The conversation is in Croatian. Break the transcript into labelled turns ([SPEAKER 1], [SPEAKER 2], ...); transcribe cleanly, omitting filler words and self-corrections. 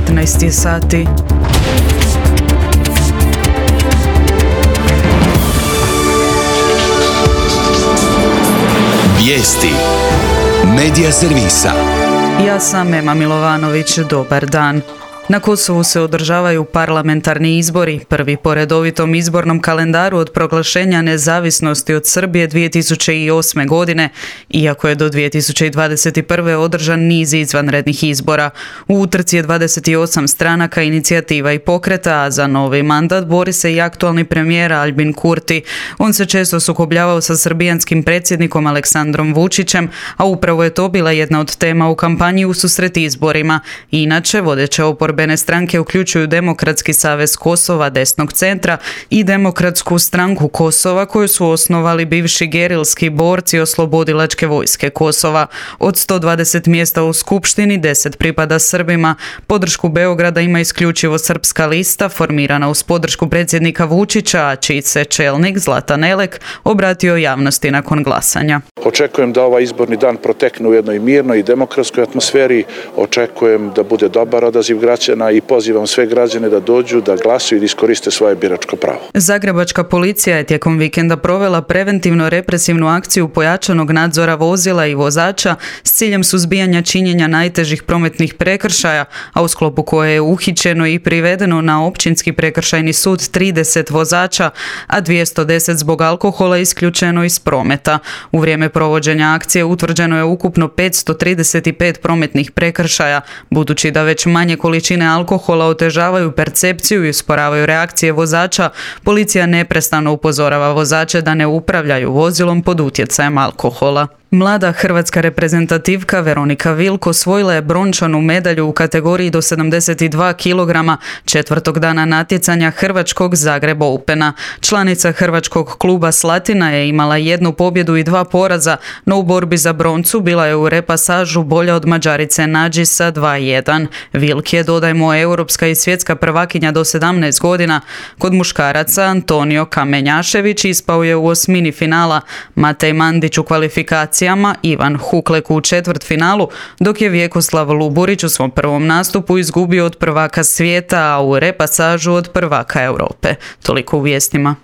[SPEAKER 1] 14 sati.
[SPEAKER 2] Vijesti Medija servisa.
[SPEAKER 1] Ja sam Ema Milovanović, dobar dan. Na Kosovu se održavaju parlamentarni izbori, prvi po redovitom izbornom kalendaru od proglašenja nezavisnosti od Srbije 2008. godine, iako je do 2021. održan niz izvanrednih izbora. U utrci je 28 stranaka, inicijativa i pokreta, a za novi mandat bori se i aktualni premijer Aljbin Kurti. On se često sukobljavao sa srbijanskim predsjednikom Aleksandrom Vučićem, a upravo je to bila jedna od tema u kampanji ususret izborima. Inače, vodeće oporbene stranke uključuju Demokratski savez Kosova desnog centra i Demokratsku stranku Kosova, koju su osnovali bivši gerilski borci Oslobodilačke vojske Kosova. Od 120 mjesta u skupštini 10 pripada Srbima. Podršku Beograda ima isključivo Srpska lista, formirana uz podršku predsjednika Vučića, a čiji se čelnik Zlatan Elek obratio javnosti nakon glasanja.
[SPEAKER 3] Očekujem da ovaj izborni dan protekne u jednoj mirnoj i demokratskoj atmosferi. Očekujem da bude dobar odaziv građana i pozivam sve građane da dođu, da glasuju i da iskoriste svoje biračko pravo.
[SPEAKER 1] Zagrebačka policija je tijekom vikenda provela preventivno represivnu akciju pojačanog nadzora vozila i vozača s ciljem suzbijanja činjenja najtežih prometnih prekršaja, a u sklopu koje je uhićeno i privedeno na Općinski prekršajni sud 30 vozača, a 210 zbog alkohola isključeno iz prometa. U vrijeme provođenja akcije utvrđeno je ukupno 535 prometnih prekršaja. Budući da već manje količine alkohola otežavaju percepciju i usporavaju reakcije vozača, policija neprestano upozorava vozače da ne upravljaju vozilom pod utjecajem alkohola. Mlada hrvatska reprezentativka Veronika Vilk osvojila je brončanu medalju u kategoriji do 72 kg četvrtog dana natjecanja Hrvačkog Zagreb Opena. Članica hrvačkog kluba Slatina je imala 1 pobjedu i 2 poraza, no u borbi za broncu bila je u repasažu bolja od Mađarice Nađi sa 2:1. Vilk je, dodajmo, europska i svjetska prvakinja do 17 godina. Kod muškaraca Antonio Kamenjašević ispao je u osmini finala, Matej Mandić u kvalifikacijama, Ivan Huklek u četvrtfinalu, dok je Vjekoslav Luburić u svom prvom nastupu izgubio od prvaka svijeta, a u repasažu od prvaka Europe. Toliko u vijestima.